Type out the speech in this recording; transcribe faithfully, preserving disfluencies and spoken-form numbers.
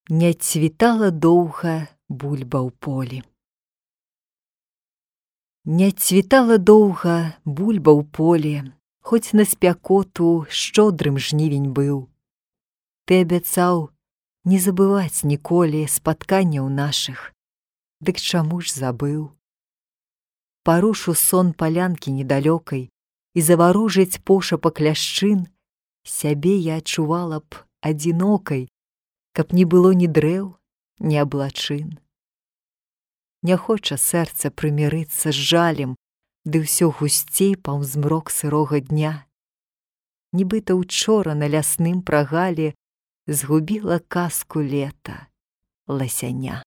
Не цвітала доўга бульба ў полі. Не цвітала доўга бульба ў полі, хоць на спякоту шчодрым жнівень быў. Ты абяцаў не забываць ніколі спатканняў нашых, дык чаму ж забыў? Парушу сон палянкі недалёкай і заварожыць пошапак ляшчын, сябе я адчувала б адзінокай, каб не было ні дрэў, ні аблачын. Не хоча сэрца прымірыцца з жалем, ды ўсё гусцей паўз змрок сырога дня. Нібыта учора на лясным прагале згубіла казку лета ласяня.